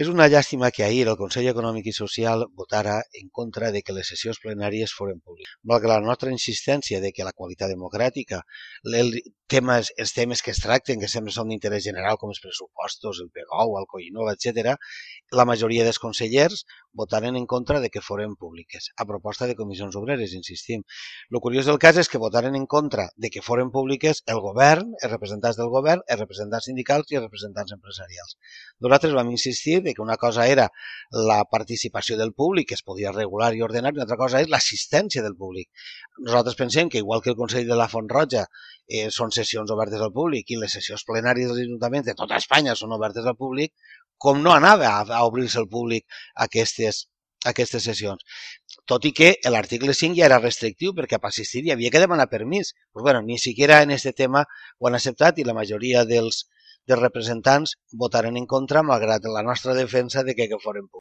És una llàstima que ahir el Consell Econòmic i Social votara en contra de que les sessions plenàries foren públiques. Malgrat la nostra insistència de que la qualitat democràtica, els temes que es tracten, que sempre són d'interès general, com els pressupostos, el PGOU, el COINOVA, etc., la majoria dels consellers votaren en contra de que foren públiques, a proposta de comissions obreres, insistim. El curiós del cas és que votaren en contra de que foren públiques el govern, els representants del govern, els representants sindicals i els representants empresarials. Nosaltres vam insistir que una cosa era la participació del públic, que es podia regular i ordenar, i una altra cosa és l'assistència del públic. Nosaltres pensem que, igual que el Consell de la Font Roja són sessions obertes al públic i les sessions plenàries dels ajuntaments de tota Espanya són obertes al públic, com no anava a obrir-se al públic aquestes sessions. Tot i que l'article 5 ja era restrictiu perquè per assistir hi havia que demanar permís. Pues bueno, ni siquiera en aquest tema ho han acceptat i la majoria dels representants votaren en contra malgrat la nostra defensa de que foren públics.